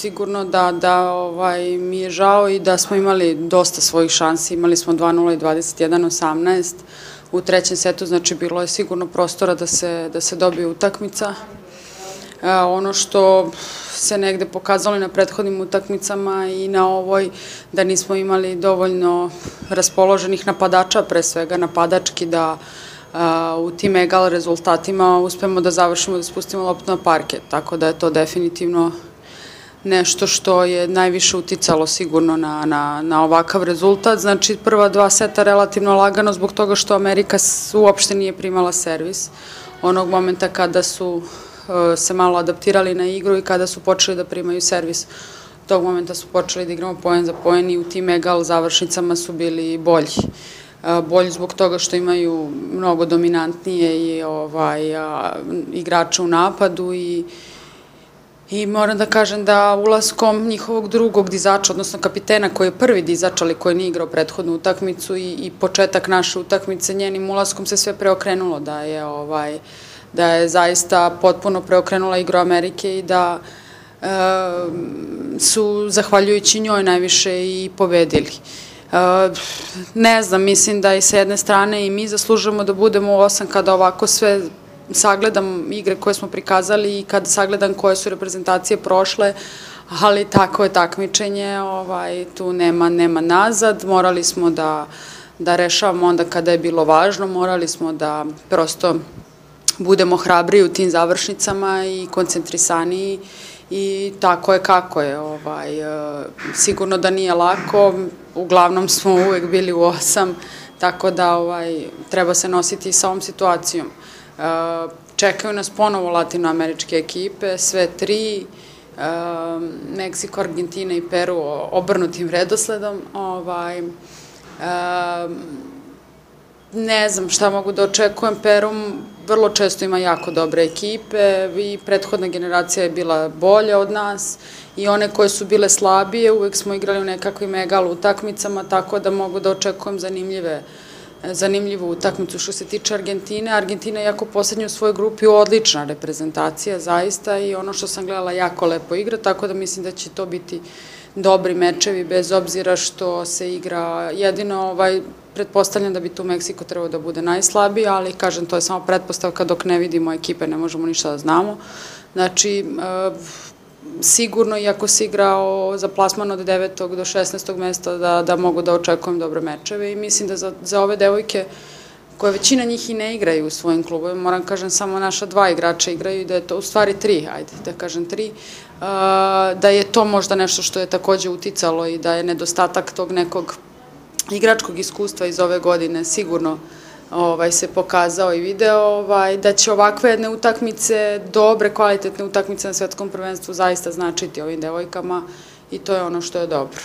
sigurno da mi je žao i da smo imali dosta svojih šansi. Imali smo 2:0 i 21:18 u trećem setu, znači bilo je sigurno prostora da se dobije utakmica. Ono što se negde pokazalo i na prethodnim utakmicama i na ovoj, da nismo imali dovoljno raspoloženih napadača, pre svega napadački, da u tim egal rezultatima uspemo da završimo, da spustimo loptu na parket, tako da je to definitivno nešto što je najviše uticalo sigurno na ovakav rezultat. Znači, prva dva seta relativno lagano zbog toga što Amerika uopšte nije primala servis. Onog momenta kada su se malo adaptirali na igru i kada su počeli da primaju servis, tog momenta su počeli da igramo poen za poen i u tim egal završnicama su bili bolji. Bolji zbog toga što imaju mnogo dominantnije igrače u napadu i moram da kažem da ulaskom njihovog drugog dizača, odnosno kapitena koji je prvi dizač, ali koji nije igrao prethodnu utakmicu i početak naše utakmice, njenim ulaskom se sve preokrenulo, da je zaista potpuno preokrenula igru Amerike i da su, zahvaljujući njoj, najviše i pobedili. Ne znam, mislim da i sa jedne strane i mi zaslužujemo da budemo u 8 kada ovako sve sagledam igre koje smo prikazali i kada sagledam koje su reprezentacije prošle, ali tako je takmičenje, tu nema nazad, morali smo da rešavamo onda kada je bilo važno, morali smo da prosto budemo hrabriji u tim završnicama i koncentrisaniji i tako je kako je. Sigurno da nije lako, uglavnom smo uvek bili u 8, tako da treba se nositi sa ovom situacijom. Čekaju nas ponovo latinoameričke ekipe, sve tri, Meksiko, Argentina i Peru obrnutim redosledom. Ne znam šta mogu da očekujem. Peru vrlo često ima jako dobre ekipe i prethodna generacija je bila bolja od nas i one koje su bile slabije uvek smo igrali u nekakvim egal utakmicama, tako da mogu da očekujem zanimljivu utakmicu. Što se tiče Argentine, Argentina je jako poslednja u svojoj grupi odlična reprezentacija, zaista, i ono što sam gledala jako lepo igra, tako da mislim da će to biti dobri mečevi, bez obzira što se igra jedino, pretpostavljam da bi tu Meksiko trebao da bude najslabiji, ali kažem, to je samo pretpostavka, dok ne vidimo ekipe ne možemo ništa da znamo. Znači, sigurno, iako se igrao za plasman od 9. do 16. mesta, da mogu da očekujem dobre mečeve i mislim da za ove devojke, koje većina njih i ne igraju u svojim klubovima, moram kažem samo naša 2 igrača igraju i da je to u stvari 3, ajde da kažem 3, da je to možda nešto što je takođe uticalo i da je nedostatak tog nekog igračkog iskustva iz ove godine sigurno se pokazao i video, da će ovakve jedne utakmice, dobre, kvalitetne utakmice na svetskom prvenstvu zaista značiti ovim devojkama i to je ono što je dobro.